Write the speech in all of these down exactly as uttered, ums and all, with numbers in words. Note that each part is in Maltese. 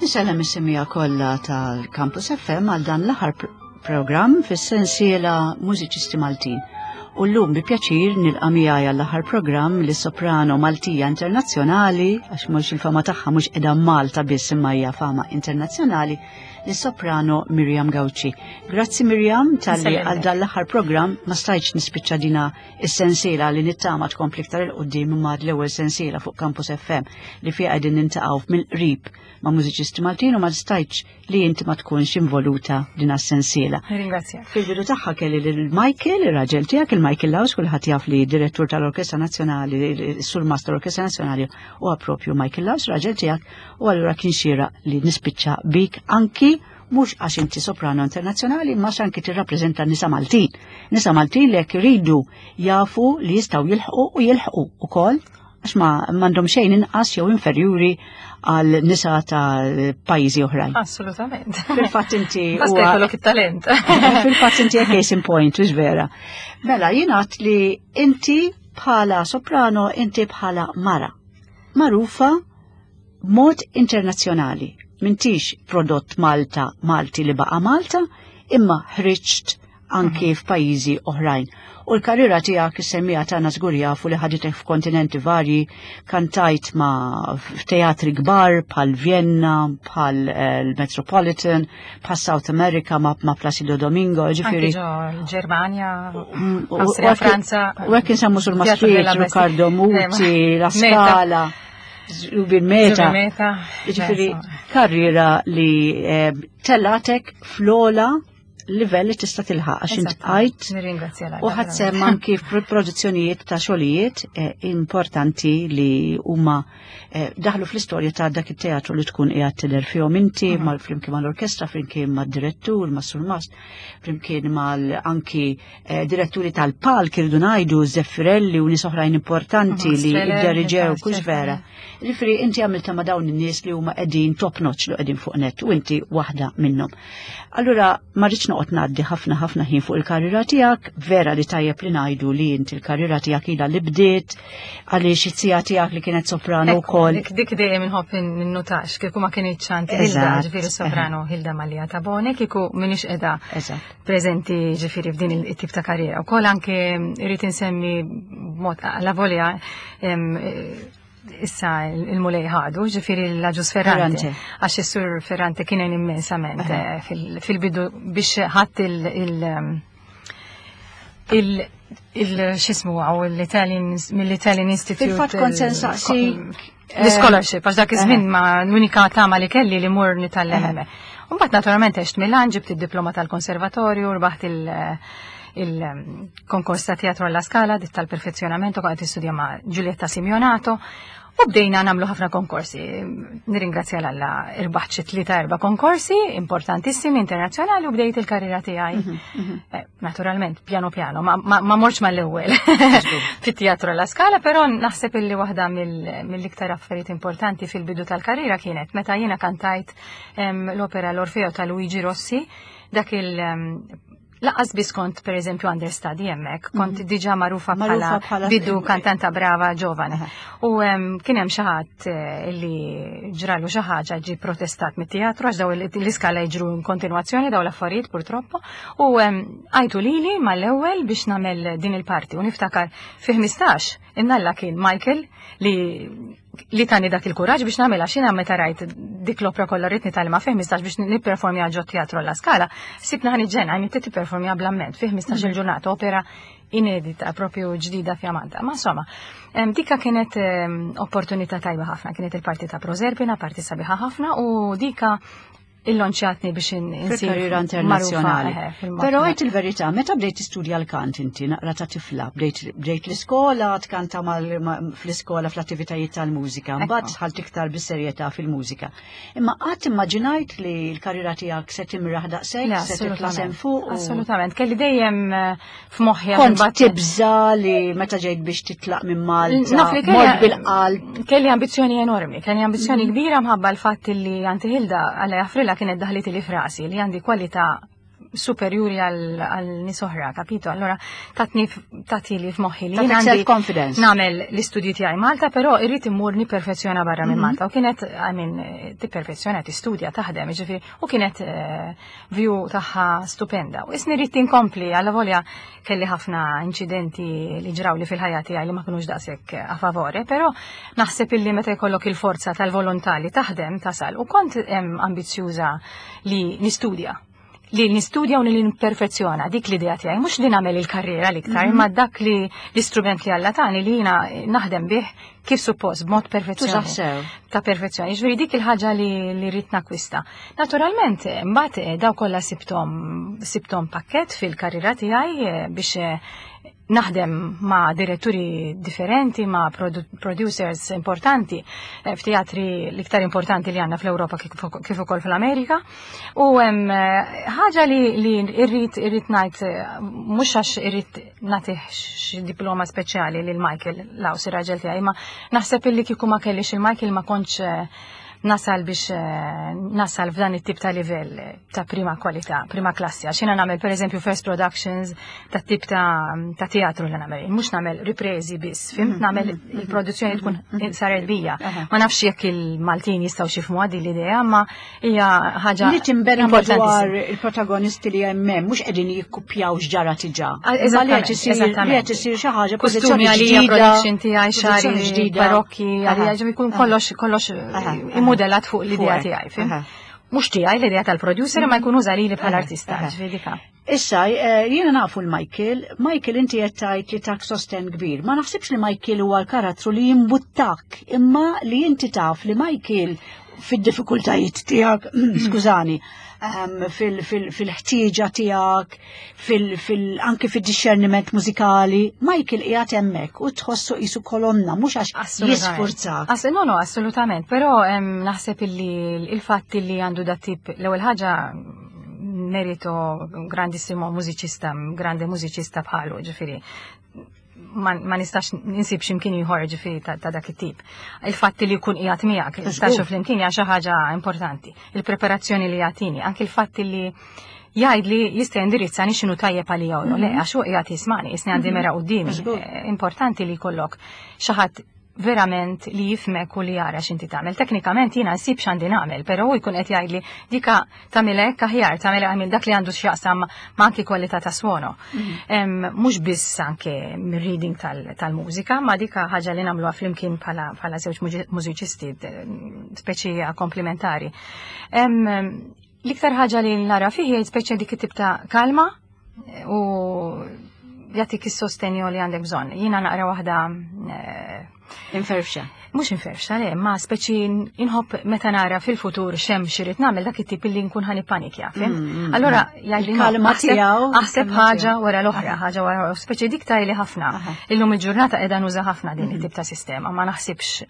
Insellem is-semmiegħa kollha tal-Campus F M għal dan l-aħħar programm fis-sensiela Mużiċisti Maltin. U llum bi pjaċir nilqa' miegħi għall-aħħar programm li soprano Maltija internazzjonali, għax mhux il-fama tagħha mhux qiegħda Malta biss imma hija fama internazzjonali, li soprano Miriam Gauci. Grazzi, Miriam, talli għal dan l-aħħar programm. Ma stajtx nispiċċa dina is-sensiela li nittama tkompli iktar 'il quddiem, imma l-ewwel sensiela fuq Campus F M li fiha qegħdin niltaqgħu mill-qrib ma' mużiċisti Maltin u ma stajtx li inti ma tkunx involuta din is-sensiela. Ringrazzja. Fil-bidu tagħha kelli lil Michael, ir-raġel tiegħek, il-Michael Laus, kulħadd jaf li direttur tal-Orkestra Nazzjonali, Surmast tal-Orkestra Nazzjonali huwa propju Michael Laus, raġel tiegħek, u allura kien xieraq li nispiċċa bik anki mhux għax inti soprano internazzjonali, ma anki tirrappreżenta nisa Maltin. Nisa Maltin li jekk iridu jafu li jistgħu jilħqu u jilħqu ukoll, għax ma m'għandhom xejn inqas jew inferjuri għal nisa ta' pajjiżi oħrajn. Assolutament. Fil-fatt inti. Basta jkollok it-talent. Fil-fatt inti case in point, mhux vera? Mela, jingħad li inti bħala soprano, inti bħala mara magħrufa mod internazzjonali. M'intix prodott Malta, Malti li baqa Malta, imma ħriġt anki mhm. f'pajjiżi oħrajn. U l-karriera tiegħek, is-semmiegħa tagħna żgur jafu li ħaditek f'kontinenti varji, kantajt ma' f'teatri kbar bħal Vienna, bħal eh, l-Metropolitan, bħal South America ma' ma' Placido Domingo, ġifieri. Ġermanja, mm, Austria, Franza. U hekk insemmu sul Maastricht, Riccardo Muti, La Scala. Zubin Mehta. Ġifieri, karriera li eh, tellatek fl-ogħla livell li tista' tilħaq għax int għajt Nirringrazzja u ħadt sehem anki f'produzzjonijiet ta' xogħlijiet eh, importanti li huma eh, daħlu fl-istorja ta' dak it-teatru li tkun qiegħed tidher fihom inti mhm. mal flimkien mal-orkestra, flimkien mad-direttur, mas-surmast, flimkien mal anki eh, diretturi tal-palk, irridu ngħidu Zeffirelli u nies oħrajn importanti li idderiġew kux vera. Ġifieri inti għamilta ma' dawn in-nies li huma qegħdin top notch, li qegħdin fuq net, u inti waħda minnhom. Allura ma rridx noqgħod ngħaddi ħafna ħafna ħin fuq il-karriera tiegħek, vera li tajjeb li ngħidu li inti l-karriera tiegħek ilha li bdiet għaliex it-tija tiegħek li kienet soprano wkoll. Dik dik dejjem inħobb ninnutax kieku ma kienx għandi Hilda, ġifieri soprano Hilda Mallia Tabone, kieku m'iniex qiegħda preżenti ġifieri f'din it-tip ta' karriera. Ukoll anke irrid insemmi b'mod la volja, issa il-Mulej ħadu, ġifieri l-Agius Ferrante. Għax is-sur Ferrante kien immensament eh, fil-bidu biex ħadd il- il il x'jismu għaw l-Italian, mill-Italian Institute. Fil-fatt kont se nsaqsi. L-scholarship, għax dak iż-żmien ma l-unika tama li kelli li mur nitgħallem hemmhekk. Mbagħad naturalment għext Milan, ġibt id-diploma tal-konservatorju, rbaħt il- il-konkors ta' teatro alla Scala, dit tal-perfezzjonamento, kont istudja ma' Giulietta Simionato, u bdejna nagħmlu ħafna konkorsi. Nirringrazzja 'l Alla, irbaħt xi tlieta erba' konkorsi importantissimi internazzjonali u bdejt il-karriera tiegħi. Mhm, mhm. Eh, naturalment, piano piano, ma, ma, ma mortx mal-ewwel fit-teatro alla Scala, però naħseb illi waħda mill-iktar affarijiet importanti fil-bidu tal-karriera kienet meta jiena kantajt l-opera L-Orfeo ta' Luigi Rossi, dak il Lanqas biss kont, per eżempju, understudy hemmhekk, kont mm. diġà magħrufa bħala bidu kantanta brava ġovane. U kien hemm xi ħadd eh, li ġralu xi ħaġa, ġi protestat mit-teatru, għax daw l-iskala jiġru in kontinwazzjoni daw l-affarijiet, purtroppo. U għajtu lili mal-ewwel biex nagħmel din il-parti u niftakar fi ħmistax innalla kien Michael li li tani dak il-kuraġġ biex nagħmilha, xina meta rajt dik l-opra kollha rrid nitgħallimha fi ħmistax biex nipperformja ġo teatro la Scala, sibna ħa niġġenn, għajni tipperformja bl-amment fi ħmistax il-ġurnata opera inedita, propju ġdida fjamanta. Ma insomma, dika kienet opportunità tajba ħafna, kienet il-parti ta' Proserpina, parti sabiħa ħafna, u dika illonċjatni biex insir karriera internazzjonali. Però għedt il-verità, meta bdejt tistudja l-kant inti naqra ta' tifla, bdejt l-iskola, tkanta fl-iskola fl-attivitajiet tal-mużika, mbagħad dħalt iktar bis-serjetà fil-mużika. Imma qatt immaġinajt li l-karriera tiegħek se timraħ daqshekk, se titla' semm fuq? Assolutament, kelli dejjem eh, f'moħħi. Kont tibża li meta ġejt biex titlaq minn Malta, mort bil-qalb? Kelli ambizzjoni enormi, kelli ambizzjoni mhm. kbira mħabba l-fatt li Auntie Hilda, Alla jaħfrilha, kienet daħlit li f'rasi li għandi kwalità superjuri għal nies oħra, capito? Allora tatni tati li f'moħħi li Tatik jien għandi self-confidence. nagħmel l-istudji tiegħi Malta, però irrid immur niperfezzjona barra minn Mhm. Malta. U kienet, I mean, tipperfezzjona, tistudja, taħdem, ġifieri, u kienet eh, view tagħha stupenda. U isni rrid inkompli, alla volja kelli ħafna inċidenti li ġraw li fil-ħajja tiegħi li ma kinux daqshekk a favore, però naħseb illi meta jkollok il-forza tal-volontà li taħdem tasal. U kont em, ambizjuża li nistudja li nistudja u li nperfezzjona dik l-idea tiegħi, mhux li nagħmel il-karriera l-iktar, imma dak li l-istrument li Alla tani li jiena naħdem bih kif suppost b'mod Tużah perfezzjoni. sew. Ta' perfezzjoni, ġifieri dik il-ħaġa li, li rrid nakwista. Naturalment, eh, mbagħad eh, daw kollha sibtom sibtom pakket fil-karriera tiegħi eh, biex eh, naħdem ma' diretturi differenti, ma' produ producers importanti, eh, f'teatri l-iktar importanti li għandna fl-Ewropa kif kif ukoll fl-Amerika. U hemm eh, ħaġa li, li irrid irrid ngħid eh, mhux għax irrid nagħtih xi diploma speċjali lil Michael Laus ir-raġel tiegħi, ma naħseb illi kieku ma kellix il-Michael ma kontx eh, nasal biex eh, nasal f'dan it-tip ta' livell eh, ta' prima kwalità, prima klassi. Għax jiena nagħmel pereżempju first productions ta' tip ta' ta' teatru li nagħmel, mhux nagħmel ripresi biss, fhimt nagħmel il-produzzjoni tkun saret bija. Aha. Ma nafx jekk il-Maltin jistgħu jifhmu din l-idea, ma hija ħaġa Li timbena madwar importantissima. il-protagonisti li hemm mhux qegħdin jikkupjaw x'ġara diġà. Ah, Imma li qed eżattament, isir li eżattament. qed isir xi ħaġa Kostumi pożizzjoni għalija, ġdida. production tiegħi, xagħri, pożizzjoni ġdida. parokki, għalija, Aha. ġem ikun kollox, kollox Aha, aha. immodellat fuq l-idea Fuqek, tiegħi, fhimt? aha. Mhux tiegħi l-idea tal-producer, ma jkun uża lili bħala Aha, artista, aha. ġifieri dika. Issa, eh, jiena nafu l-Michael, Michael inti qed tgħid li tak sosten kbir. Ma naħsibx li Michael huwa l-karattru li jimbuttak, imma li inti taf li Michael fid-diffikultajiet tiegħek, skużani, ehm, fil- fil- fil-ħtieġa tiegħek, fil- fil- anke fid-discerniment mużikali, Michael qiegħed hemmhekk u tħossu qisu kolonna, mhux għax Assolutament. jisfurzak. Ass no, no, assolutament, però em, naħseb illi il-fatt illi għandu dat tip, l-ewwel ħaġa merito grandissimo mużiċista, grande mużiċista bħalu, ġifieri. Ma, ma nistax ninsib x'imkien ieħor ġifieri ta', ta' dak it-tip. Il-fatt li jkun qiegħed miegħek, Żgur. flimkien hija xi ħaġa importanti. Il-preparazzjoni li jagħtini, anke il-fatt li jgħid li jista' jindirizzani x'inhu tajjeb għalija u le, għax hu qiegħed jismani, jisni għandi mera quddiemi. Żgur. Eh, Importanti li jkollok xi ħadd verament li jifhmek u li jara x'inti tagħmel. Teknikament jiena nsib x'għandi nagħmel, però hu jkun qed jgħidli dika tagħmel hekk aħjar, tagħmel għamil dak li għandu x'jaqsam ma anki kwalità ta' suono. Em, Mhux biss anke mir-reading tal- tal-mużika, ma dika ħaġa li nagħmluha flimkien bħala bħala żewġ muġi- mużiċisti speċi komplementari. Em, L-iktar ħaġa li nara fih hija speċi dik it-tip ta' kalma u jagħtik is-sostenju li għandek bżonn. Jiena naqra waħda eh, Inferfxa. mhux inferfxa, le, ma speċi inħobb meta nara fil-futur xem x'irid nagħmel dak it-tip li nkun ħa nippanikja, fhimt? Mm, mm, Allora mm. jgħidli Il-kalma aħseb- tiegħu, aħseb il-kalma ħaġa tiegħu. wara l-oħra, Aha. ħaġa wara speċi dik tajli ħafna. Aha. Illum il-ġurnata qiegħda nuża ħafna din it-tip ta' sistema, ma naħsibx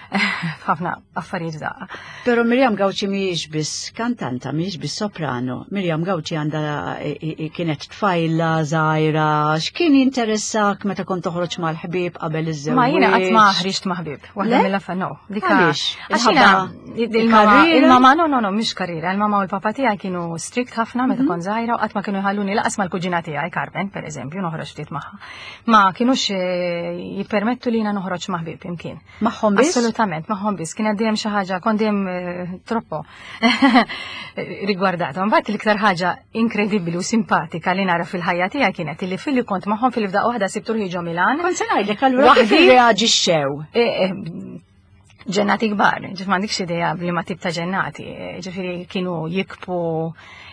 ħafna affarijiet daqqa. Pero Miriam Gauci mhijiex biss kantanta, mhijiex biss soprano. Miriam Gauci għandha i- i- kienet tfajla, żgħira, x'kien jinteressak meta kont toħroġ mal-ħbieb qabel iż-żewġ? Ma jiena qatt ma ħriġt ma' ħbieb. Waħda Le? mill-affarijiet no. Dika Għaliex? Għax jiena Il-ħabba il-mama, il-karriera? il-mama, no, no, no, mhix karriera. Il-mama u l-papa tiegħi kienu strict ħafna meta Mhm. kont żgħira u qatt ma kienu jħalluni laqas mal-kuġina tiegħi Carmen, per eżempju, noħroġ ftit magħha. Ma kienux eh, jippermettu li jiena noħroġ ma' ħbieb imkien. Magħhom biss? Assolutament, magħhom biss. Kien dejjem xi ħaġa, kont dejjem eh, troppo rigwardata. Mbagħad l-iktar ħaġa inkredibbli u simpatika li nara fil-ħajja tiegħi kienet illi filli kont magħhom fil-fdaq waħda sibtu ruħi ġo Milan. Kont se ngħidlek allura kif Waħdi? irreaġixxew? Eh, eh, ġennati kbar, ġif m'għandikx idea li ma tip ta' ġennati, eh, ġifieri kienu jikbu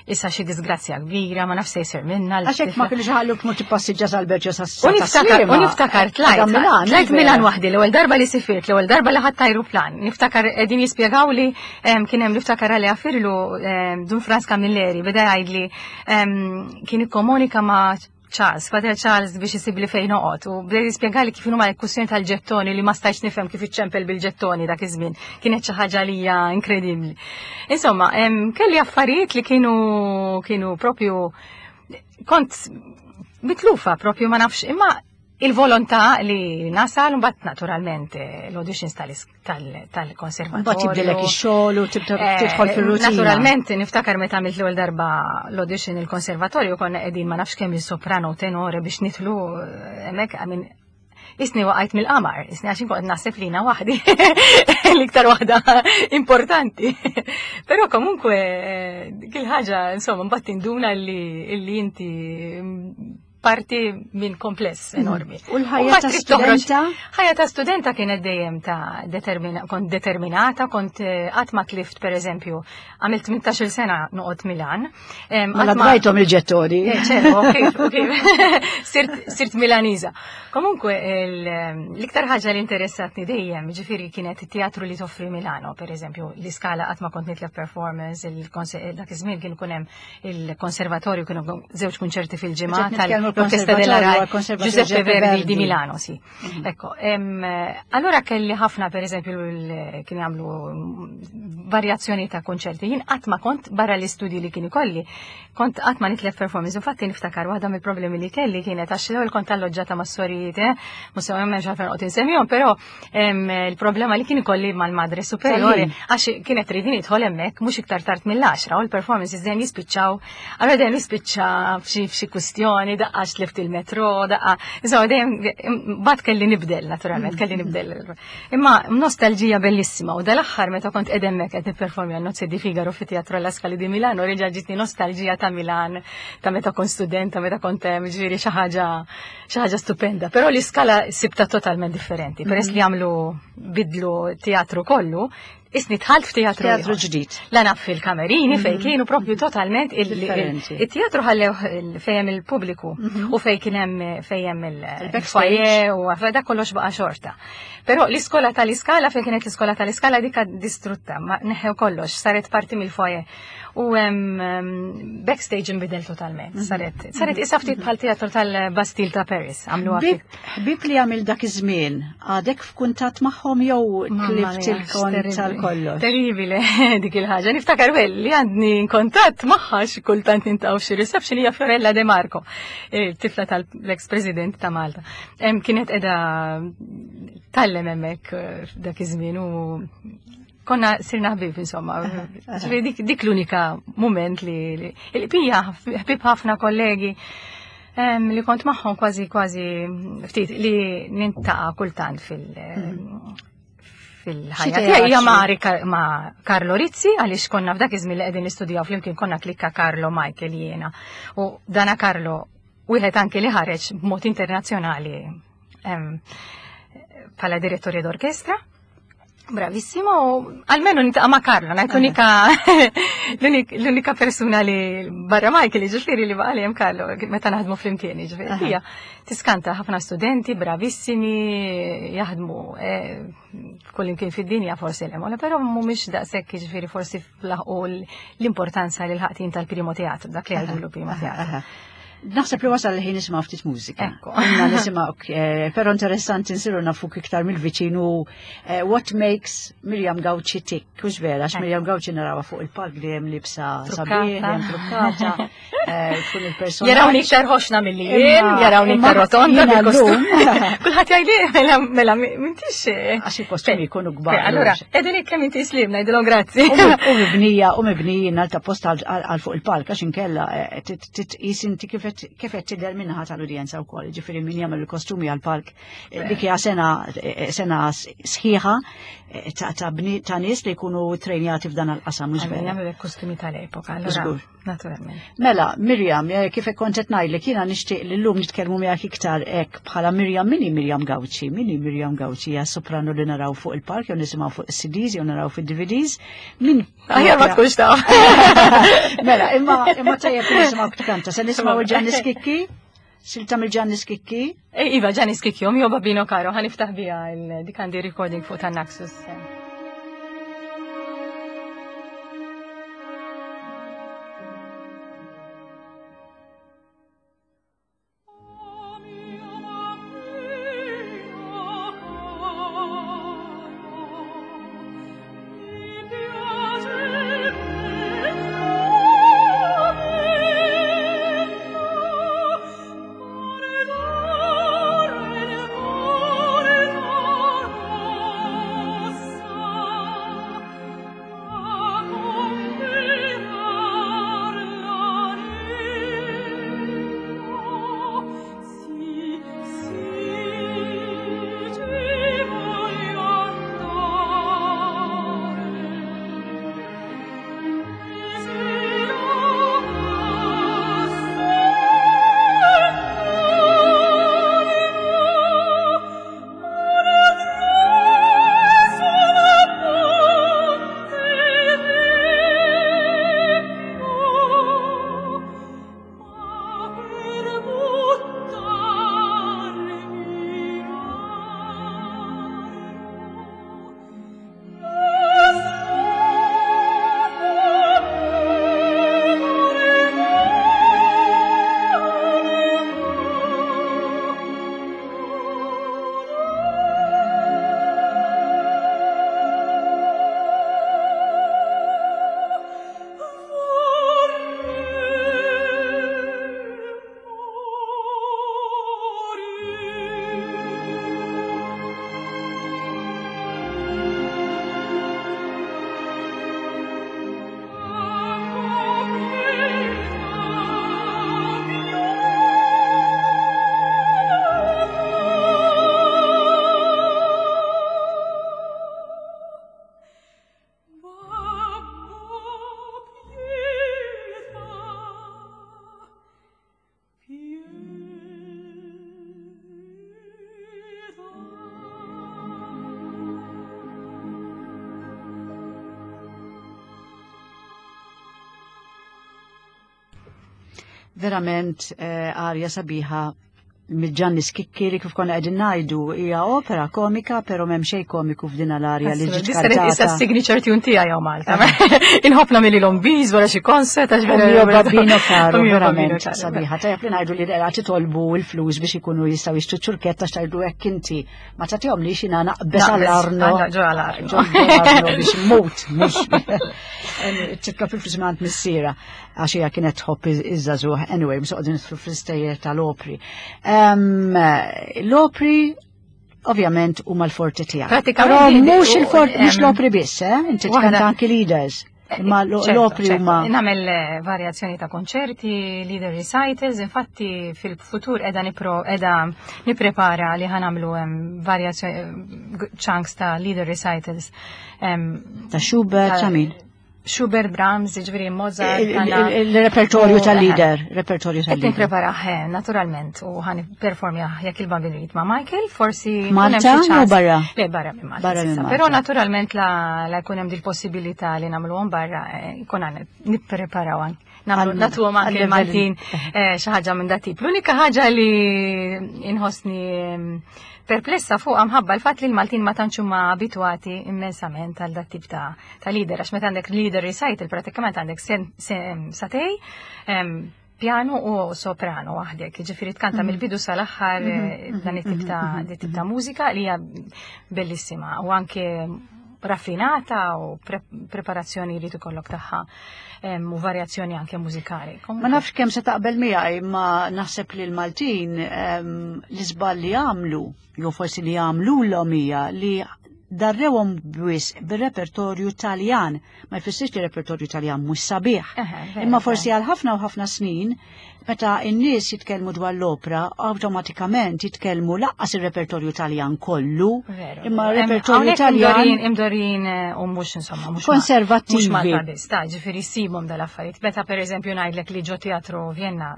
issa xi disgrazzja kbira, ma nafx se jsir minna. Għax hekk ma kienx ħalluk mur tippassiġġa sal-Berġa sa' U niftakar, u niftakar tlajt, tlajt Milan waħdi, l-ewwel darba li sifirt, l-ewwel darba li ħadt ajruplan. Niftakar qegħdin jispjegaw li em, kien hemm niftakar għalli għafirlu em, Dun Frans Camilleri, beda jgħidli em, kien ikkomunika ma' Charles, Father Charles biex isib li fejn noqgħod u beda jispjegali kif huma l-kwistjoni tal-ġettoni li ma stajtx nifhem kif iċċempel bil-ġettoni dak iż-żmien. Kienet xi ħaġa li hija inkredibbli. Insomma, em, kelli affarijiet li kienu kienu propju kont mitlufa propju ma nafx imma Il-volontà li nasal, mbagħad naturalment l-auditions tal-konservatorju. Mbagħad jibdilek ix-xogħol u tibda tidħol fir-rutina. Naturalment niftakar meta għamilt l-ewwel darba l-audition il-konservatorju konna qegħdin ma nafx kemm il-soprano u tenore biex nidħlu hemmhekk, I mean, isni waqajt mill-qamar, isni għax inkun naħseb lina waħdi, l-iktar waħda importanti. Però comunque dik il-ħaġa, insomma, mbagħad tinduna li inti parti minn kompless enormi. U l-ħajja ta' studenta? Ħajja ta' studenta kienet dejjem ta' determina, kont determinata, kont qatt ma tlift, per eżempju, għamilt tmintax-il sena noqgħod Milan. Mela bajthom il-ġettori. Ċertu, kif, kif. Sirt Milaniża. Comunque, l-iktar ħaġa li interessatni dejjem, ġifieri kienet it-teatru li toffri Milano, per eżempju, l-Iskala qatt ma kont nitlef performance, dak iż-żmien kien ikun hemm il-konservatorju, kienu żewġ kunċerti fil-ġimgħa tal l'Orchestra della Rai, Giuseppe Verdi di Milano, sì. Mm-hmm. Ecco, ehm, allora kelli ħafna, per esempio, kien jagħmlu varjazzjoni ta' konċerti. Jien qatt ma kont barra l-istudji li kien ikolli, kont qatt ma nitlef performance. Infatti niftakar waħda mill-problemi li kelli kienet għax l-ewwel kont alloġġata ma' sorijiet, eh, mhux se m'hemmx għalfejn noqgħod insemmihom, però ehm, il-problema li kien ikolli mal-madre superiore għax kienet tridni nidħol hemmhekk mhux iktar tard mill-għaxra u l-performances dejjem jispiċċaw, allora dejjem jispiċċa f'xi kwistjoni, daqqa tlift il-metro, daqqa. Insomma, dejjem bad kelli nibdel, naturalment, kelli nibdel. Imma nostalġija bellissima, u dal-aħħar meta kont qed hemmhekk qed nipperformja Nozze di Figaro fi Teatro alla Scala di Milano, reġa' ġitni nostalġija ta' Milan, ta' meta kont studenta, meta kont hemm, ġifieri xi ħaġa xi ħaġa stupenda. Però l-iskala sibta totalment differenti. Peress li għamlu bidlu teatru kollu, isni tħalt f'teatru Teatru ġdid. La naf fil-kamerini fejn kienu propju totalment il-teatru ħallew fejn il-pubbliku u fejn kien hemm fejn il-foyer u dak kollox baqa' xorta. Però l-iskola tal-iskala fejn kienet l-iskola tal-iskala dik distrutta, ma neħew kollox, saret parti mill-foyer. U backstage inbidel totalment. Saret saret issa ftit bħal teatru tal-Bastille ta' Paris, għamluha ftit. Ħbieb li għamil dak iż-żmien, għadek f'kuntatt magħhom jew tlift il-kont tal-kollox? Terribile dik il-ħaġa. Niftakar well li għandni kuntatt magħha xi kultant nintaqgħu f'xi reception hija Fiorella De Marco, tifla tal-ex President ta' Malta. Kienet qiegħda tgħallem hemmhekk dak iż-żmien u konna sirna ħbieb, insomma. Dik, dik l-unika moment li il-pija ħbieb ħafna kollegi um, li kont magħhom kważi kważi ftit li nintaqa' kultant fil- fil-ħajja tiegħi hija ma', ma' Carlo Rizzi, għaliex konna f'dak iż-żmien li qegħdin nistudjaw flimkien konna klikka Carlo Michael jiena. U dana Carlo wieħed anke li ħareġ b'mod internazzjonali bħala direttori d'orkestra. Bravissimo, almeno nintaqa' ma' Carlo, ngħid l-unika l-unika persuna li barra Michael, ġifieri li baqa' li hemm Carlo meta naħdmu flimkien, ġifieri. Hija tiskanta ħafna studenti bravissimi jaħdmu kull imkien fid-dinja forsi l-hemm, però mhumiex daqshekk ġifieri forsi laħqu l-importanza li l-ħaqtin tal-primo teatru, dak li għajdu l-primo teatru. Naħseb li wasal li ħin nisimgħu ftit mużika. Inna nisimgħu, però interessanti nsiru nafuk iktar mill-viċin u what makes Miriam Gauci tick, hux vera, għax Miriam Gauci narawha fuq il-palk li hemm libsa sabiħ, hemm trukkata, tkun il-persona. Jarawni iktar ħoxna milli jien, jarawni iktar rotonda bil-kostum. Kulħadd jgħidli mela mela m'intix. Għax il-kostumi jkunu kbar. Allura, qegħdin kemm inti slim ngħidilhom grazzi. U mibnija u mibnijin għal ta' post għal fuq il-palk għax inkella titqis inti kif kif qed tidher minnaħa tal-udjenza wkoll, ġifieri min jagħmel il-kostumi għall-palk dik hija sena sena sħiħa ta' ta' nies li jkunu trejnjati f'dan il-qasam mhux vera. Jagħmlu kostumi tal-epoka, allura naturalment. Mela, Miriam, kif kont qed ngħidlek jiena nixtieq li llum nitkellmu miegħek iktar hekk bħala Miriam, min hi Miriam Gauci? Min hi Miriam Gauci? Hija soprano li naraw fuq il-palk jew nisimgħu fuq is-C Ds jew naraw fid-D V Ds. Min Aħjar ma tkunx taf. Mela, imma imma tajjeb nisimgħu tkanta. Se nisimgħu il-Gianni Schicchi? Silta mill-Gianni Schicchi? Iva, Gianni Schicchi, mio babbino caro, ħa niftaħ biha dik għandi recording fuq tan-Naxos. Verament eh, arja sabiħa minn Gianni Schicchi li kif konna qegħdin ngħidu hija opera komika, però m'hemm xejn komiku f'din l-arja li ġiet kantata. Issa signature tune tiegħi hawn Malta. Inħobb nagħmilhom bis wara xi concert għax vera. Mio babbino caro, verament sabiħa. Tajjeb li ngħidu li qed titolbu l-flus biex ikunu jistgħu jixtru ċurketta x'tgħidu hekk inti. Ma tagħtihom li xina naqbeż għall-Arno. Ġo għall-Arno. Biex mut, mhux titlob il-flus minn missiera għax hija kienet tħobb iż-żagħżugħ. Anyway, mhux qogħdin fl-istejjer tal-opri. L-opri ovvjament huma l-forti tiegħek. Pratikament mhux il-forti, mhux l-opri biss, eh? Inti tkanta anki lieders. Imma l-opri huma. Nagħmel eh, varjazzjoni ta' konċerti, lieder recitals, infatti fil-futur qiegħda nipro qiegħda nipprepara li ħa nagħmlu varjazzjoni chunks ta' lieder recitals. Ta' Schubert, ta' min? Schubert, Brahms, ġifieri Mozart. Il-repertorju tal-lieder, repertorju tal-lieder. Nipprepara, naturalment, u ħa nipperformja jekk il-Bambin irid ma' Michael, forsi. Malta u barra? Le, barra minn Malta. Barra minn Malta. Però naturalment la, la jkun hemm dil-possibilità li nagħmluhom barra, jkun għan nippreparaw anke. Nagħtuhom anke l-Maltin eh, xi ħaġa minn dat-tip. L-unika ħaġa li inħossni perplessa fuq minħabba l-fatt li l-Maltin ma tantx huma abitwati immensament għal dat tip ta' ta' lieder, għax meta għandek lieder recital pratikament għandek sagħtejn piano u soprano waħdek, ġifieri tkanta mhm. mill-bidu sal-aħħar mhm, eh, dan it-tip ta' mhm, tip ta' mużika li hija bellissima u anke raffinata u preparazzjoni li tikollok tagħha u varjazzjoni anke mużikali. Ma nafx kemm se taqbel miegħi, ma naħseb li l-Maltin l-iżball li għamlu, jew forsi li għamlu l hija li darrewhom biss bir-repertorju Taljan. Ma jfissirx li repertorju Taljan mhux sabiħ. Imma forsi għal ħafna u ħafna snin, meta n-nies jitkellmu dwar l-opra, awtomatikament jitkellmu lanqas ir-repertorju Taljan kollu. Imma repertorju Taljan imdorrijin eh, u mhux insomma mhux konservattivi. Mhux Malta biss, ta' ġifieri ssibhom dal-affarijiet. Meta pereżempju ngħidlek li ġo teatru Vienna,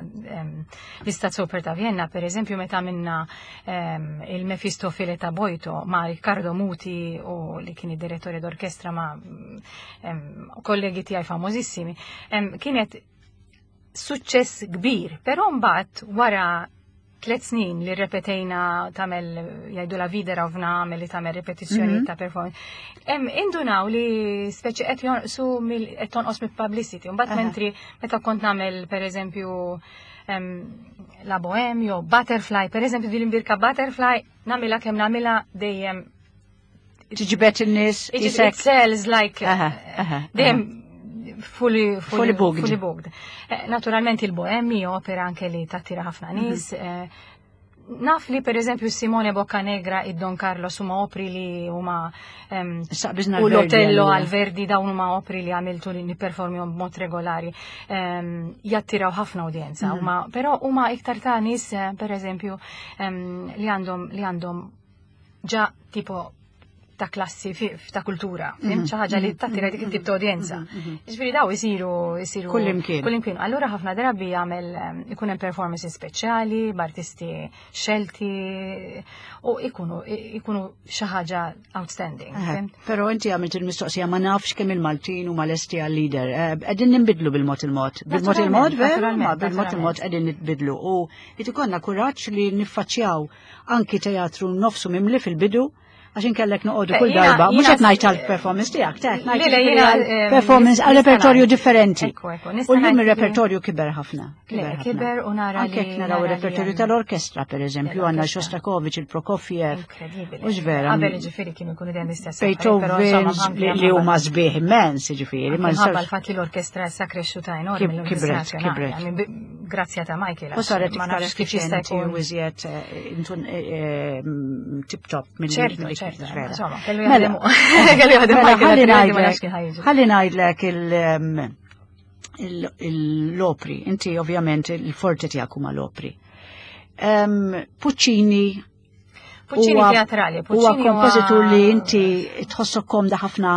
l-Staatsoper ta' Vienna, pereżempju meta minna il-Mefistofele ta' Boito ma' Riccardo Muti u li kien id-direttore d'orkestra ma' kollegi tiegħi famożissimi, kienet suċċess kbir, però mbagħad wara tliet snin li repetejna tagħmel jgħidu la Wiederaufnahme li tagħmel repetizzjoni mm -hmm. ta' performance. Em indunaw li speċi qed jonqsu qed tonqos mill-publicity. Mbagħad mentri meta kont nagħmel pereżempju La Bohème jew Butterfly, pereżempju din imbierka Butterfly nagħmilha kemm nagħmilha dejjem tiġbed in-nies. It sells like dejjem fully, fully booked. Fully booked. Eh, naturalment il-Bohème opera anke li tattira ħafna mhm. nies. Mm -hmm. Naf li per eżempju Simone Boccanegra e Don Carlos huma opri li huma um, u l-Otello għal Verdi, dawn huma opri li għamiltu li nipperformihom b'mod regolari, um, jattiraw ħafna udjenza, mm -hmm. però huma iktar ta' nies eh, per eżempju um, li għandhom li għandhom ġa tipo ta' klassi ta' kultura, mm -hmm. xi ħaġa li tattira dik it-tip ta' udjenza. Mhm, Ġifieri daw isiru isiru kullimkien. Kullimkien. Allura ħafna drabi jagħmel ikun hemm performances speċjali b'artisti xelti u ikunu ikunu xi ħaġa outstanding. Però inti għamilt il-mistoqsija, ma nafx kemm il-Maltin huma lesti għal-lieder. Eh, qegħdin ninbidlu bil-mod il-mod. Bil-mod il-mod, veru, ma bil-mod il-mod qegħdin nitbidlu u jrid kuraġġ li niffaċċjaw anki teatru nofsu mimli fil-bidu għax inkellek noqogħdu kull darba, mhux qed ngħid għall-performance tiegħek, qed ngħid performance għal repertorju differenti. U llum ir-repertorju kiber ħafna. Kiber u nara. Anke jekk naraw ir-repertorju tal-orkestra pereżempju, għandna Shostakovich, il-Prokofiev. U vera. Qabel ġifieri kienu jkunu dejjem l-istess. Beethoven li huma sbieħ immens, ġifieri. Ma l-fatt li l-orkestra issa krexxuta enormi. Kibret, kibret. Grazzja ta' Michael. U saret iktar effiċjenti u iżjed eh, eh, tip-top mill Insomma, kellu jaħdem. Kellu jaħdem. Ħalli ngħidlek l-opri, inti ovvjament il-forti tiegħek huma l-opri. Puccini Puccini teatrali, Huwa kompożitur li inti tħossok komda ħafna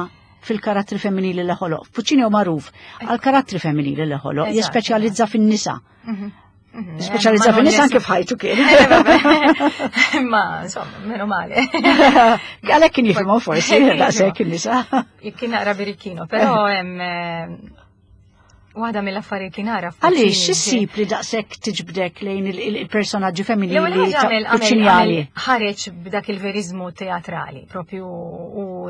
fil-karattri femminili li ħoloq. Puccini huwa magħruf għal karattri femminili li ħoloq, jispeċjalizza fin-nisa. Mhm. Mhm. Speċjalizza fin-nisa anke f'ħajtu kien. Ma, insomma, menu male. Għalhekk kien jifhimhom forsi, daqshekk in-nisa. Kien naqra birikkino, però hemm eh, Waħda mill-affarijiet li nara. Għaliex x'issib li daqshekk tiġbdek lejn il-personaġġi femminili ta' Puccinjani? Ħareġ b'dak il-verizmu teatrali, propju u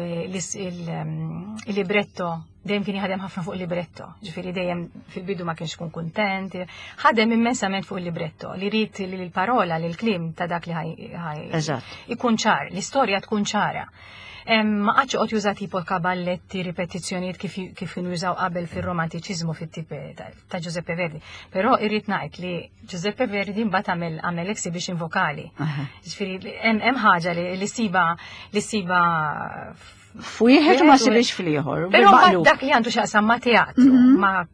il-libretto, dejjem kien jaħdem ħafna fuq il-libretto, ġifieri dejjem fil-bidu ma kienx kun kuntent, ħadem immensament fuq il-libretto, li rid li l-parola, li l-kliem ta' dak li ħaj ikun ċar, l-istorja tkun ċara. Ma qatx qed juża tipo kaballetti, ripetizzjonijiet kif kienu jużaw qabel fir-romantiċiżmu fit-tip ta' Giuseppe Verdi. Però irrid ngħid li Giuseppe Verdi mbagħad għamel għamel exhibition vokali. Ġifieri hemm ħaġa li siba li siba f'wieħed u ma sibix fl-ieħor. Però dak li għandu x'jaqsam ma' teatru, ma'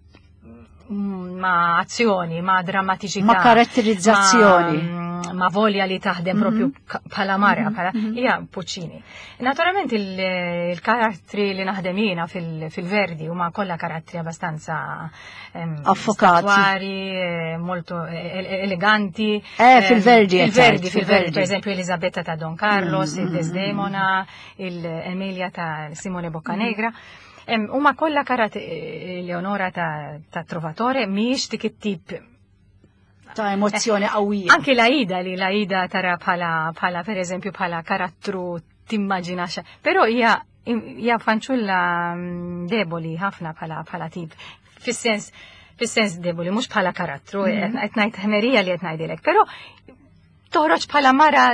ma' azzjoni, ma' drammatiċità. Ma' karatterizzazzjoni. Ma' volja li taħdem propju bħala mara, bħala hija Puccini. Naturalment il-karattri li naħdem jiena fil-Verdi huma kollha karattri abbastanza affokati, molto eleganti. Eh, fil-Verdi. Fil-Verdi, fil-Verdi, per esempio Elisabetta ta' Don Carlos, il-Desdemona, il-Emilia ta' Simone Boccanegra. Huma kollha karattri Leonora ta' Trovatore mhijiex dik it-tip ta' emozzjoni qawwija. Anki l-Aida li l-Aida tara bħala bħala per eżempju bħala karattru timmaġina xa. Però hija hija fanċulla deboli ħafna bħala bħala tip. Fis-sens fis-sens deboli mhux bħala karattru, qed ngħid ħmerija li qed ngħidilek, però toħroġ bħala mara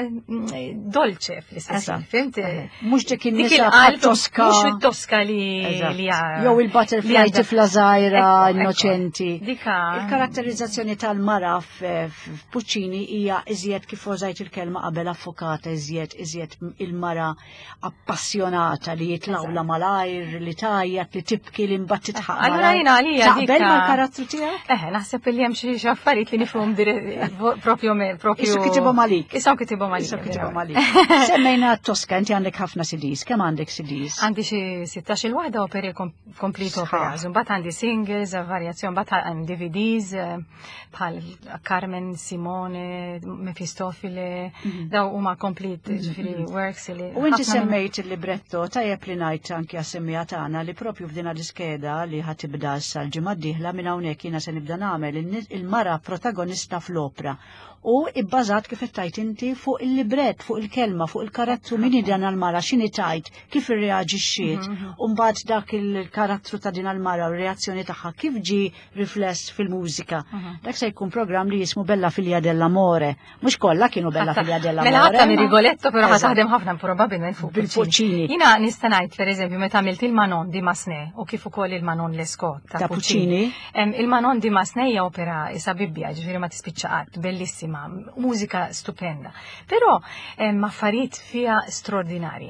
dolce fl-istess, fimt? Mhux dik in-nisa Tosca. Mhux it-Tosca li li jew il-butterfly tifla żgħira innoċenti. Il-karatterizzazzjoni tal-mara f'Puccini hija iżjed kif użajt il-kelma qabel affokata, iżjed iżjed il-mara appassjonata li jitlawla malajr, li tajjat, li tibki, li mbagħad titħaq. Allura jiena għalija taqbel mal-karattru tiegħek? Eħe, naħseb li hemm xi affarijiet li nifhom propju propju malik. Issa kitibhom għalik. Issa kitibhom għalik. Semmejna Tosca, inti għandek ħafna C Ds. Kemm għandek C Ds? Għandi xi sittax-il waħda operi complete operas. Mbagħad għandi singles, varjazzjoni, mbagħad hemm D V Ds bħal Carmen, Simone, Mefistofile, daw huma complete ġifieri works li. U inti semmejt il-libretto, tajjeb li ngħid anki għas-semmija tagħna li propju f'din l-iskeda li ħa tibda issa l-ġimgħa d-dieħla minn hawnhekk jiena se nibda nagħmel il-mara protagonista fl-opra. U ibbażat kif tajt inti fuq il-libret, fuq il-kelma, fuq il-karattru min dan għal-mara, x'inhi tajt, kif irreaġixxiet, u mbagħad dak il-karattru ta' din għal-mara u r-reazzjoni tagħha kif ġi rifless fil-mużika. Dak se jkun programm li jismu Bella Figlia dell'Amore. Mhux kollha kienu Bella Figlia dell'Amore. Mela ħadd minn Rigoletto però ħa taħdem ħafna probabbilment fuq Puccini. Jiena nista' ngħid pereżempju meta għamilt il-Manon di Massenet u kif ukoll il-Manon Lescaut ta' Puccini. Il-Manon di Massenet hija opera isa Bibbja, ġifieri ma tispiċċa qatt, bellissima, mużika stupenda, però affarijiet fiha straordinari.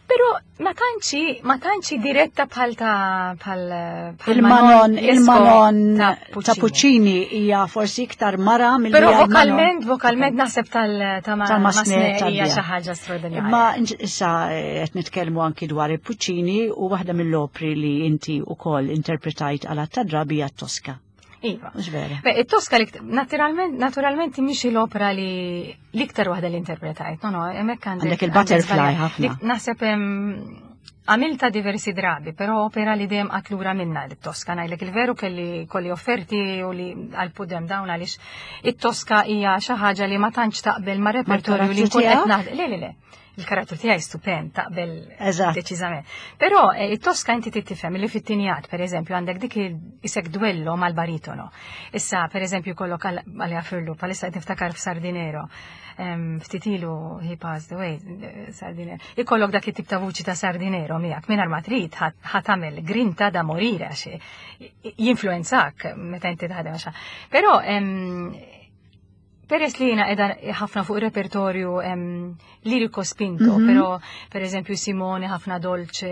Però ma tantx ma tantx diretta bħal ta' bħal il-Manon, il-Manon ta' Puccini hija forsi iktar mara mill Però vokalment, vokalment naħseb tal ta' Massenet hija xi ħaġa straordinarja. Imma issa qed nitkellmu anki dwar il-Puccini u waħda mill-opri li inti wkoll interpretajt għal ta' drabi hija Tosca. Iva. Mhux vera. Beh, it-Tosca li naturalment, naturalment mhix l-opera li l-iktar waħda li interpretajt. No, no, hemmhekk għandek Għandek il-Butterfly ħafna. Naħseb għamilta diversi drabi, però opera li dejjem qatlura minna l-Tosca. Ngħidlek il-veru kelli kolli offerti u li għal-pudem dawn għaliex it-Tosca hija xi ħaġa li ma tantx taqbel ma' repertorju li nkun qed naħdem. Le, le, le. Il-karattru tiegħi stupend, taqbel deċiżament. Però it-Tosca inti tifhem li fit-tinjat, pereżempju, għandek dik isek duello mal-baritono. Issa, pereżempju, kollok għalija Firlu, bħalissa qed niftakar f'Sardinero. Ftit ilu he passed away, Sardinero. Ikollok dak it-tip ta' vuċi ta' Sardinero miegħek mingħajr ma trid ħa tagħmel grinta da morire għax jinfluwenzak meta inti taħdem għax. Però peress li jiena qiegħda ħafna fuq repertorju lirico spinto, però per eżempju Simone ħafna dolce,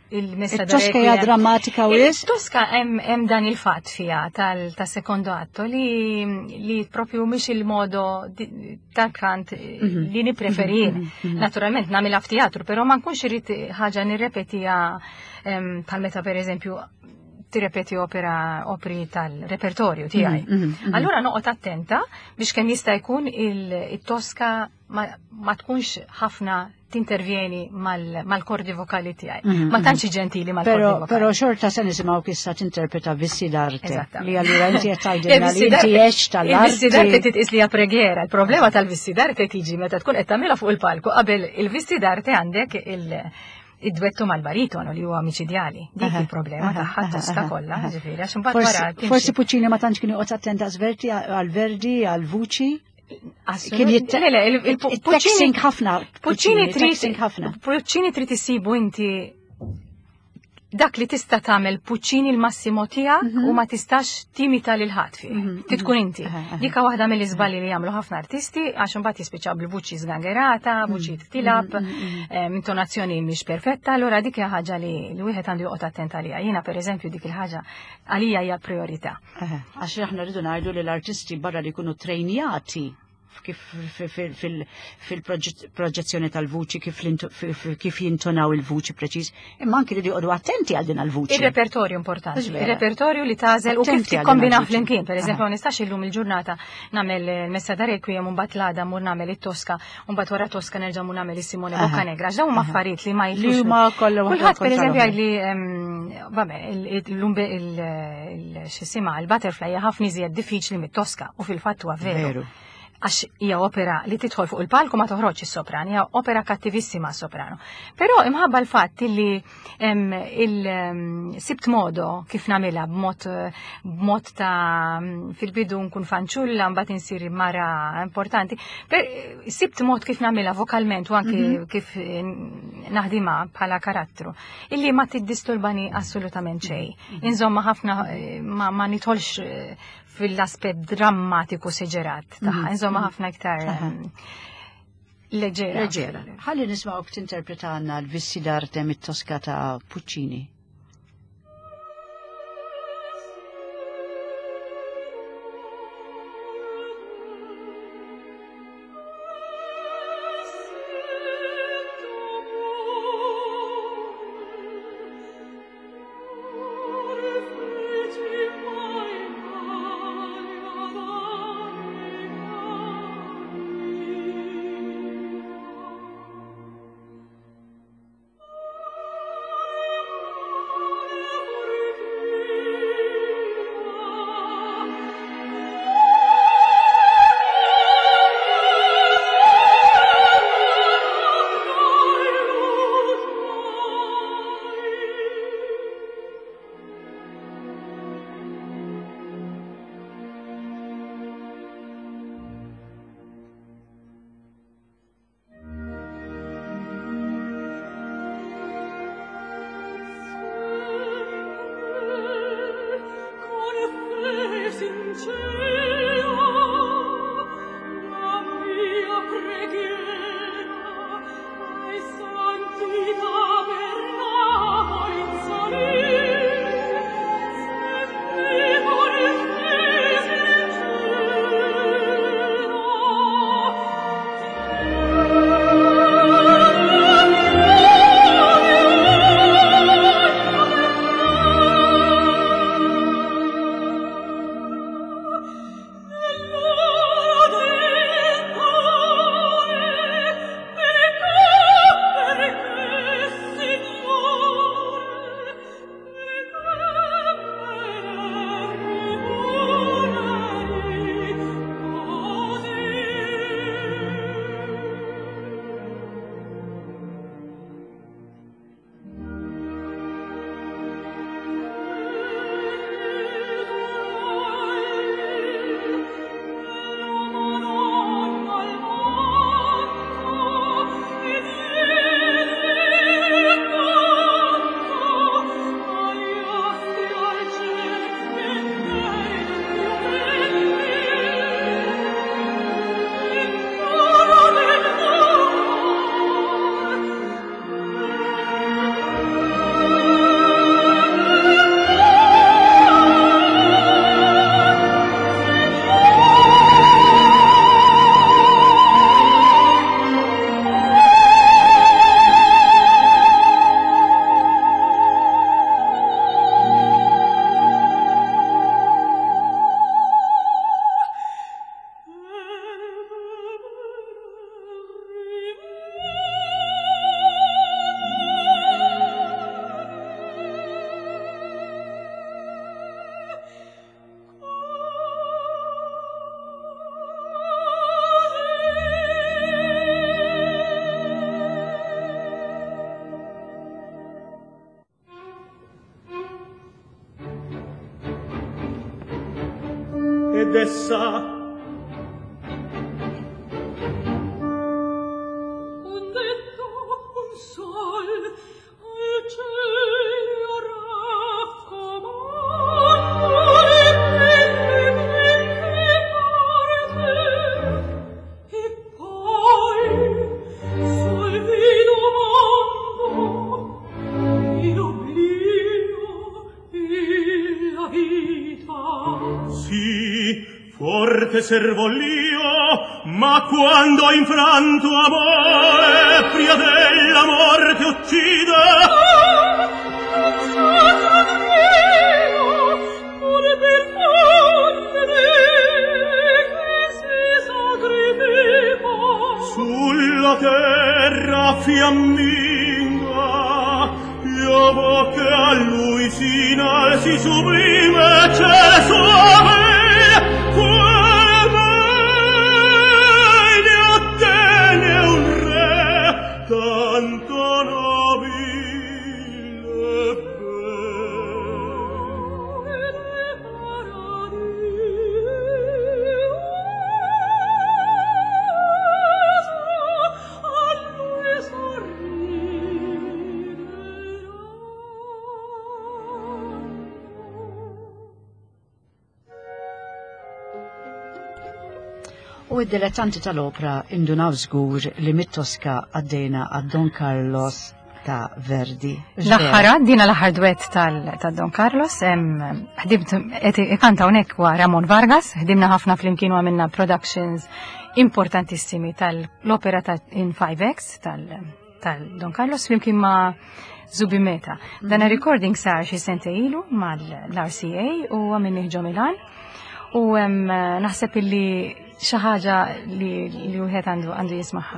il-messa da Tosca hija drammatika u wisq? Tosca hemm dan il-fatt fiha tal secondo atto li li propju mhix il-modo tal-kant li nippreferi. Naturalment nagħmilha f'teatru, però ma nkunx irid ħaġa nirrepetiha bħal meta per eżempju tirrepeti opera opri tal-repertorju tiegħi. Mm -hmm. Allura noqgħod attenta biex kemm jista' jkun il-Tosca ma, ma tkunx ħafna tintervjeni mal-kordi vokali tiegħi. Mm -hmm. Ma tantx ġentili mal-kordi vokali. Però xorta se nisimgħu issa tinterpreta Vissi d'Arte. Li allura inti qed tgħidilna li inti għex tal-arti. Il-Vissi d'Arte titqis li hija preghiera. Il-problema tal-Vissi d'Arte tiġi meta tkun qed tagħmilha fuq il-palku qabel il-Vissi d'Arte għandek il- id-dwettu mal-baritono li huwa miċidjali. Dik il-problema tagħha Tosca kollha, ġifieri, għax imbagħad wara. Forsi Puccini ma tantx kien joqgħod attent Verdi għal-Verdi għal-vuċi. Kien il-Puccini ħafna. Puccini trid ħafna. Puccini trid issibu inti dak li tista' tagħmel Puccini l-massimo tiegħek u ma tistax timita lil ħadd fih. Trid tkun inti. Dik waħda mill-iżbalji li jagħmlu ħafna artisti għax imbagħad jispiċċaw bil-vuċi żgangherata, vuċi tilab, intonazzjoni mhix perfetta, allura dik hija ħaġa li wieħed għandu joqgħod attent għaliha. Jiena pereżempju dik il-ħaġa għalija hija priorità. Għax aħna rridu ngħidu li l-artisti barra li jkunu trejnjati kif fil-proġezzjoni tal-vuċi, kif jintonaw il-vuċi preċiż, imma anki li joqogħdu attenti għal din il-vuċi. Il-repertorju importanti. Il-repertorju li tagħżel u kif tikkombina flimkien. Per eżempju, ma nistax illum il-ġurnata nagħmel il-Messa da Requiem u mbagħad l-għada mur nagħmel it-Tosca u mbagħad wara Tosca nerġa' mur nagħmel is-Simone Boccanegra. Għax dawn huma affarijiet li ma jitlux. Kulħadd pereżempju jgħidli vabbè, il-xisima, il-Butterfly hija ħafna iżjed diffiċli mit-Tosca u fil-fatt huwa veru. Għax hija opera li tidħol fuq il-palku ma toħroġ is-sopran, hija opera kattivissima s-soprano. Però imħabba l-fatt li il-sibt modo kif nagħmilha b'mod b'mod ta' fil-bidu nkun fanċulla mbagħad insir mara importanti. Per, sibt mod kif nagħmilha vokalment u anki mm -hmm. kif naħdimha bħala karattru, illi ma tiddisturbani assolutament xejn. Mm -hmm. Insomma ħafna ma, ma nidħolx fil-aspett drammatiku seġerat tagħha. Insomma ħafna iktar leġera. Leġera. Ħalli nismgħuk tinterpreta għandna l-Vissi d'Arte mit-Tosca ta' Puccini. ed essa un detto, un sol al cielo raccomando le belle belle porte e poi sul vi domando e l'oblio e la vita. Sì, forte servo l'io, ma quando infranto amore pria della morte uccide. Ah, non sacro Dio, pure per fondere che si sacrifica. Sulla terra fiamminga, io vo che a lui s'inalzi sublime ciel suave, qual mai ne ottenne un re tanto nobile e bel. A lui sorriderà. U id-dilettanti tal-opra indunaw żgur li mit-Tosca għaddejna għad Don Carlos ta' Verdi. L-aħħar dina l-aħħar duett tal-Don Carlos, ħdimt ikanta hawnhekk huwa Ramon Vargas, ħdimna ħafna flimkien u għamilna productions importantissimi tal-opera ta' in five X tal-Don Carlos flimkien ma' Zubin Mehta. Dan recording sar xi sente ilu mal-R C A u għamilni ġo Milan u naħseb illi xi ħaġa li wieħed għandu għandu jismagħha.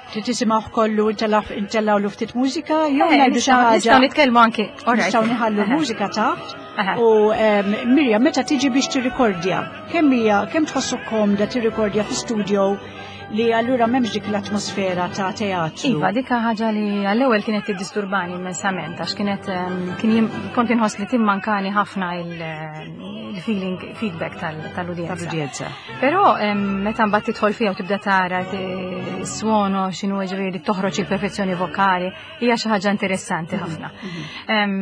Trid tisimgħu kollu intellgħu lu ftit mużika jew Eh, ngħidu xi nistgħu- ħaġa. Nistgħu nitkellmu anki. All right. Nistgħu nħallu Aha. mużika taħt. Aha. U Miriam, meta tiġi biex tirrikordja, kemm hija kemm tħossu komda tirrikordja fi studio li allura m'hemmx dik l-atmosfera ta' teatru? Iva, dik ħaġa li għall-ewwel kienet tiddisturbani immensament għax kienet, ehm, kien jim-, kont inħoss li timmankani ħafna il-feeling feedback tal-, tal-udjenza. Tal-udjenza. Però, ehm, meta mbagħad tidħol fiha u tibda tara t-, suono x'inhu ġifieri toħroġ il-perfezzjoni vokali, hija xi ħaġa interessanti Mhm, ħafna. mhm. Ehm,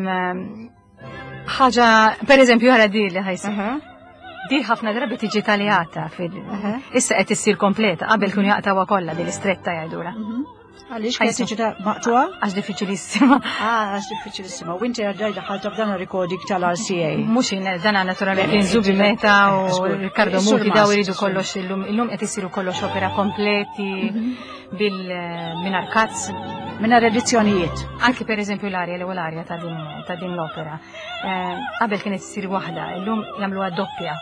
ħaġa, per eżempju, ħara di li ħajsi. Mhm. Di ħafna drabi tiġi taljata fil- Aha. Issa qed issir kompleta, qabel kienu jaqtawha kollha din l-istretta jgħidulha. Mhm. Għaliex kienet Ħajsu. tiġi ta' maqtuha? Għax diffiċilissima. Ah, għax diffiċilissima. U inti għaddejda ħalta f'dan recording tal-R C A. Mhux jien, dan naturalment kien Zubin Mehta u Żgur. Riccardo Sur Muti daw Mast, iridu sur. kollox illum, illum qed isiru kollox opera kompleti Mhm. bil mingħajr cuts. Mingħajr edizzjonijiet. Anki per eżempju l-arja, l-ewwel arja ta' din, ta' din l-opera. Eh, qabel kienet issir waħda, illum jagħmluha doppja.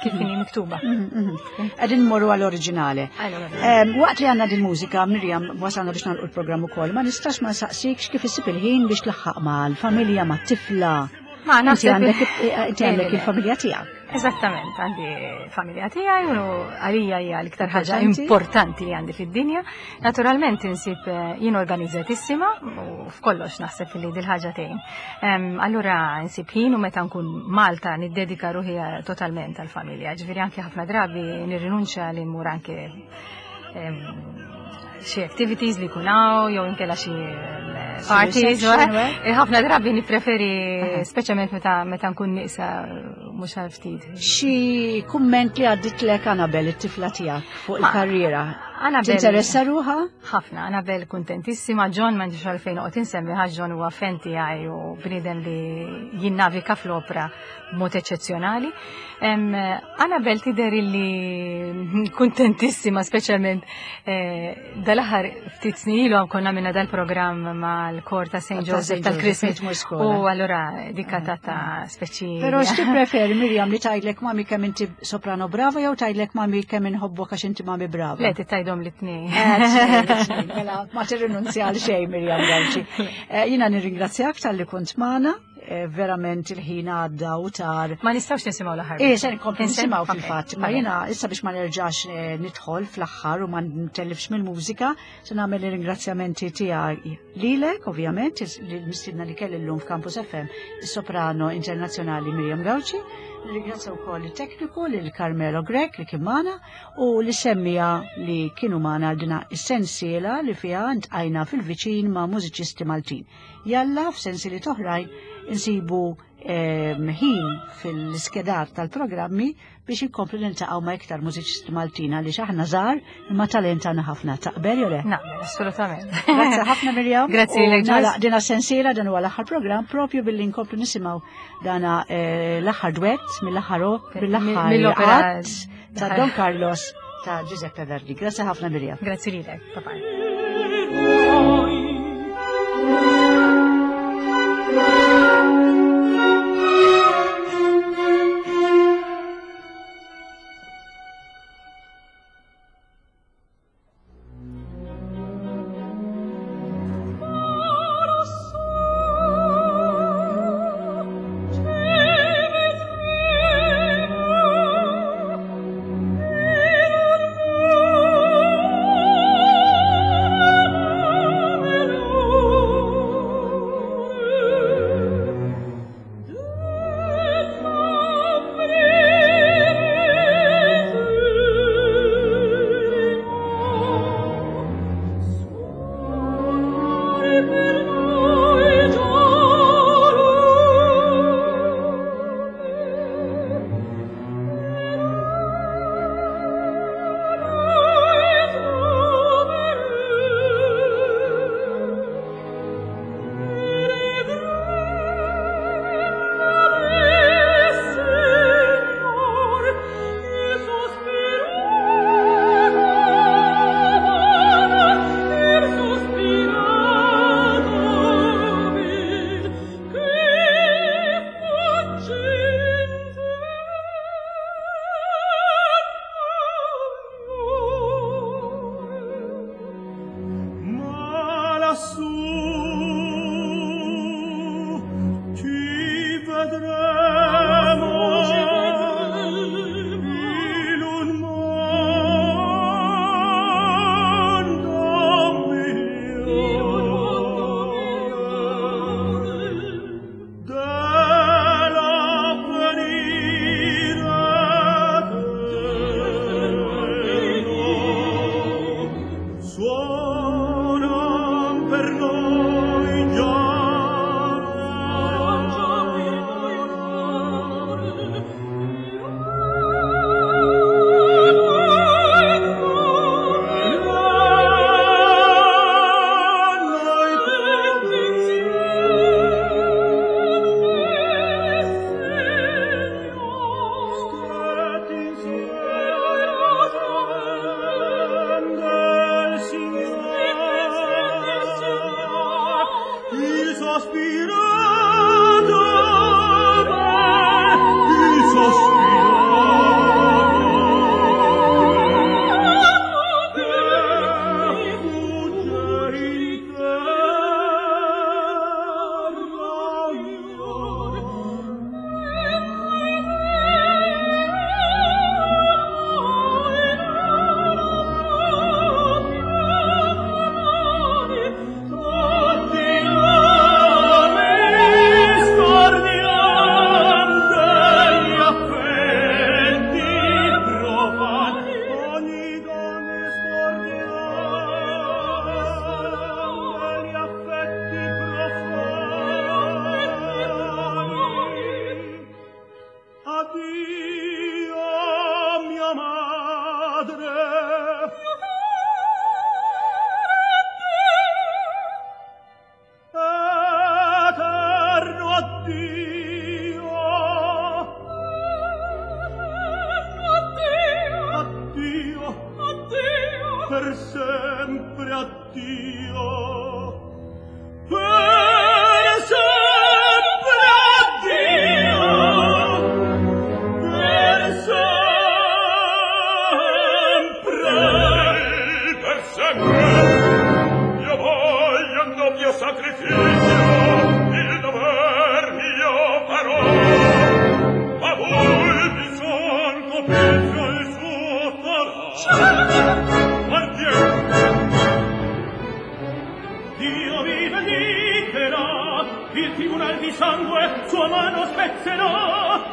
Kif inhi miktuba. Mhm, mhm. Qegħdin mmorru għall-oriġinali. Għall-oriġinali. Em, waqt li għandna din mużika, Miriam, wasalna biex nagħlqu l-programm ukoll, ma nistax ma nsaqsikx kif issib il-ħin biex tlaħħaq mal-familja, mat-tifla. Ma Inti naħseb għandek il- eh, inti għandek Le, le, le. il-familja tiegħek. Eżattament, għandi familja tiegħi u għalija hija l-iktar ħaġa Importanti. importanti li għandi fid-dinja. Naturalment insib, eh, jien organizzatissima u f'kollox naħseb li dil-ħaġa tgħin. Em, allura insib ħin u meta nkun Malta niddedika ruħi totalment għall-familja. Ġifieri anke ħafna drabi nirrinunċja li mmur anke, em, xi activities li jkun hawn jew inkella xi parties, reception, eh, eh? ħafna drabi nippreferi, Aha. speċjalment meta, meta nkun nieqsa mhux għal ftit. Xi kumment li għadditlek Annabel, it-tifla tiegħek fuq Ma, il-karriera? Annabel Tinteressa ruħha? Ħafna, Annabel kuntentissima, John m'għandix għalfejn noqgħod insemmi ħax John huwa fan tiegħi u bniedem li jinnavika fl-opra b'mod eċċezzjonali. Em, Annabel tidher illi kuntentissima, speċjalment, eh, dal-aħħar ftit snin ilu konna minna dal-programm mal-kor ta' Saint Ta' Joseph Saint tal-Christmas. Joseph, tmur skola. U allura dikka ta' ta' speċi. Però x'tippreferi, Miriam, li tgħidlek mami kemm inti soprano brava jew tgħidlek mami kemm inħobbok għax inti mami brava? Le, tgħidhom l-tnejn. Eh, tnejn, mela, ma tirrinunzja għal xejn, Miriam Gauci. Eh, jiena nirringrazzjak talli kont magħna. Eh, verament il-ħin għadda u tar. Ma nistgħux nisimgħu l-aħħar. Eh, se nkomplu Inse- nisimgħu Ok, fil-fatt. Ma vabbè. jiena issa biex ma nerġax, eh, nidħol fl-aħħar u ma ntellifx mill-mużika, se nagħmel ir-ringrazzjamenti tiegħi lilek, ovvjament, is-, li mistiedna li kelli llum f'Campus F M, is-soprano internazzjonali Miriam Gauci, Nirringrazzja wkoll it-tekniku lil Carmelo Grech li kien magħna u li semmija li kienu magħna għal dina is-sensiela li fiha ntqajna fil-viċin ma' mużiċisti Maltin. Jalla f'sensieli oħrajn insibu ehm, ħin fil-skedar tal-programmi biex inkomplu niltaqgħu ma' iktar mużiċisti Maltin għaliex aħna żgħar imma talent għandna ħafna. Taqbel jew le? Naqbel, assolutament. Grazzi ħafna Mirjam. Grazzi U lilek, Joyce. nagħlaq dina sensiela dan huwa l-aħħar programm propju billi nkomplu nisimgħu dana eh, l-aħħar duett mill-aħħar mill-aħħar Mill-opera att ta' Don Carlos ta' Giuseppe Verdi. Grazzi ħafna Mirjam. Grazzi lilek. Bye bye. Ma lassù ci vedremo in un mondo migliore dell'avvenire eterno. Suonan per noi già Il sospirato il sospirato che fugge in terra. Addio, mia madre. Eterno addio. Addio, per sempre addio. Per sempre addio. Per sempre. Per sempre io voglio un doppio sacrificio, il dover mio farò, ma voi mi son copizio il suo farà. Partiamo. Dio mi vendicherà, il tribunal di sangue sua mano spezzerà.